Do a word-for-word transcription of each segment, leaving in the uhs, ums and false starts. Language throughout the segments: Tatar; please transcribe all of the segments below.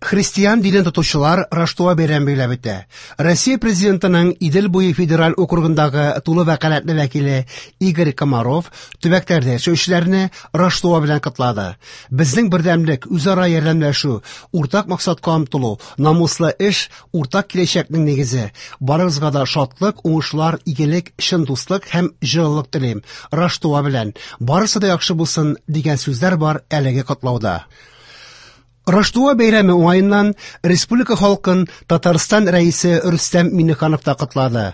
Христиан динен тотучылар Раштуа бәйрәме билгеләп үтә. Россия президентының Идел буе федераль округындагы тулы вәкаләтле вәкиле Игорь Комаров төбәкләрдә яшәүчеләрне Раштуа белән котлады. Безнең бердәмлек, үзара ярдәмләшү, уртак максатка омтылу, намуслы эш, уртак киләчәкнең нигезе. Барыгызга да шатлык, уңышлар, игелек, чын дуслык һәм җылылык телим. Раштуа белән барысы да яхшы булсын дигән сүзләр бар әлеге котлауда. Раштуа бәйрәме уңаеннан республика халкын Татарстан Рәисе Рөстәм Миңнеханов та котлады.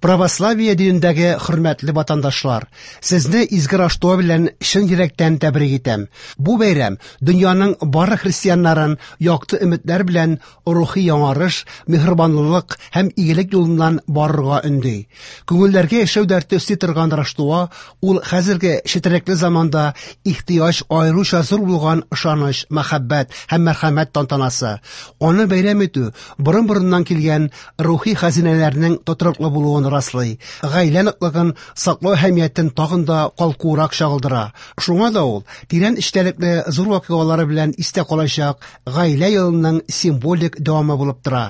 Православие динендәге хөрмәтле ватандашлар, сезне изге Раштуа белән чын йөрәктән тәбрик итәм. Бу бәйрәм дөньяның барлык христианнарын якты өметләр белән рухи яңарыш, миһербанлылык һәм игелек юлыннан барырга өнди. Күңелләргә яшәү дәрте өсти торган Раштуа ул хәзерге четерекле заманда ихтыяҗ аеруча зур булган ышаныч, мәхәббәт һәм мәрхәмәт тантанасы. Аны бәйрәм итү борын-борыннан килгән рухи хәзинәләрнең тотрыклы булуын раслый, гаилә ныклыгын саклау әһәмиятен тагын да калкуырак чагылдыра. Шуңа да ул тирән эчтәлекле зур вакыйгалары белән истә калачак гаилә елының символик дәвамы булып тора.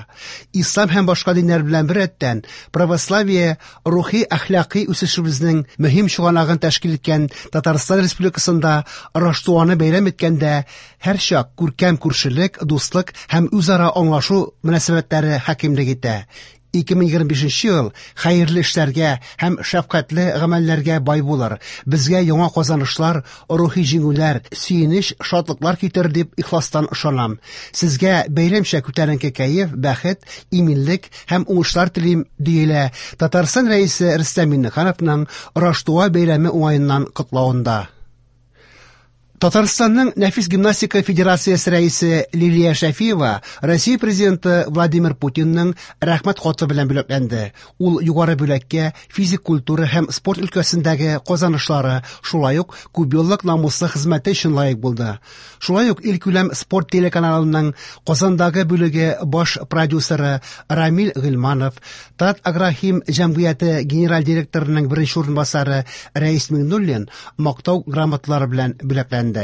Ислам һәм башка диннәр белән беррәттән православие рухи әхлакый үсешебезнең мөһим чыганагын тәшкил иткән Татарстан Республикасында Раштуаны бәйрәм иткәндә һәрчак күркәм күршелек, дуслык һәм үзара аңлашу мөнәсәбәтләре хакимлек итә. ике мең егерме бишенче ел хәерле эшләргә һәм шәфкатьле гамәлләргә бай булыр. Безгә яңа казанышлар, рухи җиңүләр, сөенеч, шатлыклар китерер дип ихластан ышанам. Сезгә бәйрәмчә күтәренке кәеф, бәхет, иминлек һәм уңышлар телим, диелә Татарстан Рәисе Рөстәм Миңнехановның Раштуа бәйрәме уңаеннан котлавында. Татарстанның Нәфис гимнастика федерациясе рәисе Лилия Шәфиева Россия президенты Владимир Путинның рәхмәт хаты белән бүләкләнде. Ул югары бүләккә физик культура һәм спорт өлкәсендәге казанышлары, шулай ук күпьеллык намуслы хезмәте өчен лаек булды. Шулай ук илкүләм спорт телеканалының Казандагы бүлеге баш продюсеры Рамил Гыйльманов, Тат Агрохим җәмгыяте генераль директорының беренче урынбасары Рәис Миңнуллин мактау грамоталары белән бүләкләнде.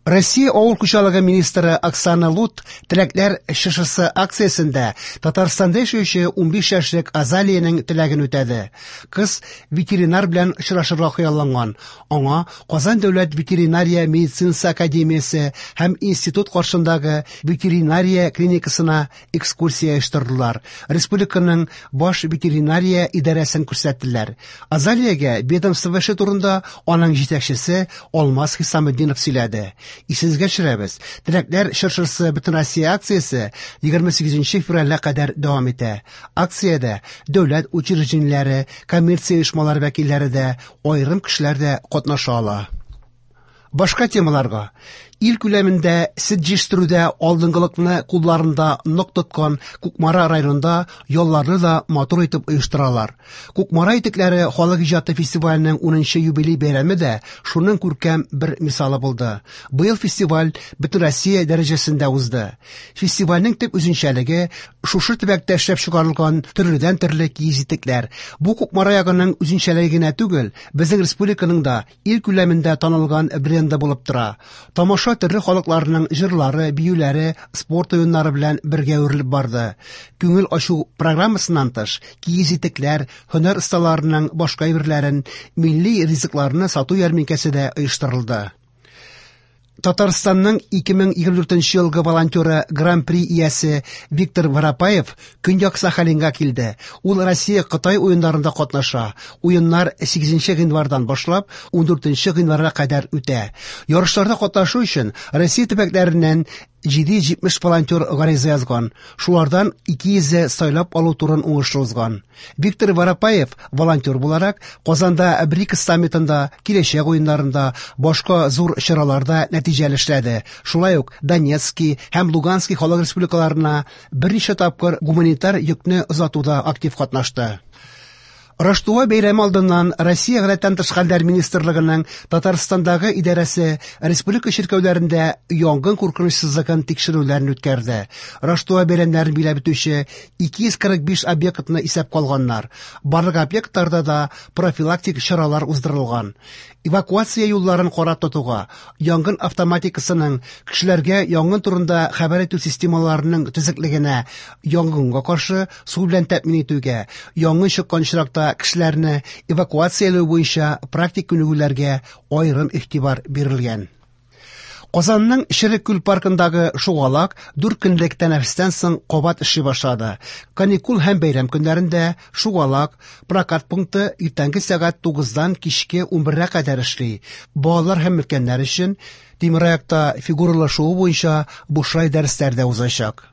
Россия авыл хуҗалыгы министры Оксана Лут теләкләр чыршысы акциясендә Татарстанда яшәүче унбиш яшьлек Азалиянең теләген үтәде. Кыз ветеринар белән очрашырга хыялланган. Аңа Казан дәүләт ветеринария медицинасы академиясе һәм институт каршындагы ветеринария клиникасына экскурсия оештырдылар. Республиканың баш ветеринария идарәсен күрсәттеләр. Азалиягә ведомство эше турында аның җитәкчесе Алмаз Хисаметдинов сөйләде. Исегезгә төшерәбез, теләкләр чыршысы Бөтенроссия акциясе егерме сигезенче февральгә кадәр дәвам итә. Акциядә дәүләт учреждениеләре, коммерция оешмалары вәкилләре дә, аерым кешеләр дә катнаша ала. Башка темаларга. Ил күләмендә сөт җитештерүдә алдынгылыкны кулларында нык тоткан Кукмара районында ялларны да матур итеп оештыралар. Кукмара итекләре халык иҗаты фестиваленең унынчы юбилей бәйрәме дә шуның күркәм бер мисалы булды. Быел фестиваль Бөтенроссия дәрәҗәсендә узды. Фестивальнең төп үзенчәлеге шушы төбәктә эшләп чыгарылган төрледән-төрле киез итекләр. Бу Кукмара ягының үзенчәлеге генә түгел, безнең республиканың да ил күләмендә танылган бренды булып тора. Тамаша төрле халыкларның җырлары, биюләре, спорт уеннары белән бергә үрелеп барды. Күңел ачу программасыннан тыш, киез итекләр, һөнәр осталарының башка әйберләрен, милли ризыкларны сату ярминкәсе дә оештырылды. Татарстанның ике мең егерме дүртенче елгы волонтеры Гран-при иясе Виктор Воропаев Көньяк Сахалинга килде. Ул Россия Кытай уеннарында катнаша. Уеннар сигезенче гыйнвардан башлап ундүртенче гыйнварга кадәр үтә. Ярышларда катнашу өчен Россия төбәкләреннән җиде йөз җитмеш волонтер гариза язган. Шулардан ике йөзе сайлап алу турын уңышлы узган. Виктор Воропаев волонтер буларак Казанда БРИКС саммитында, киләчәк уеннарында, башка зур чараларда нәтиҗәле эшләде. Шулай ук Донецкий һәм Луганский халык республикаларына берничә тапкыр гуманитар йөкне озатуда актив катнашты. Раштуа бәйрәме алдыннан Россия Гадәттән тыш хәлләр министрлыгының Татарстандагы идарәсе республика чиркәүләрендә янгын куркынычсызлыгын тикшерүләрен үткәрде. Раштуа бәйрәмнәрен биләп үтүче ике йөз кырык биш объектны исәпкә алганнар. Барлык объектларда да профилактик чаралар уздырылган. Эвакуация юлларын карап тотуга, янгын автоматикасының, кешеләргә янгын турында хәбәр итү системаларының төзеклегенә, янгынга каршы су белән тәэмин итүгә, янгын чыккан очракта кешеләрне эвакуацияләү буенча практик күнегүләргә аерым игътибар бирелгән. Казанның Черек күл паркындагы шугалак дүрт көнлек тәнәфестән соң кабат эшли башлады. Каникул һәм бәйрәм көннәрендә шугалак прокат пункты иртәнге сәгать тугыздан кичке унбергә кадәр эшли. Балалар һәм өлкәннәр өчен тимераякта фигуралы шуу буенча бушлай дәресләр дә узачак.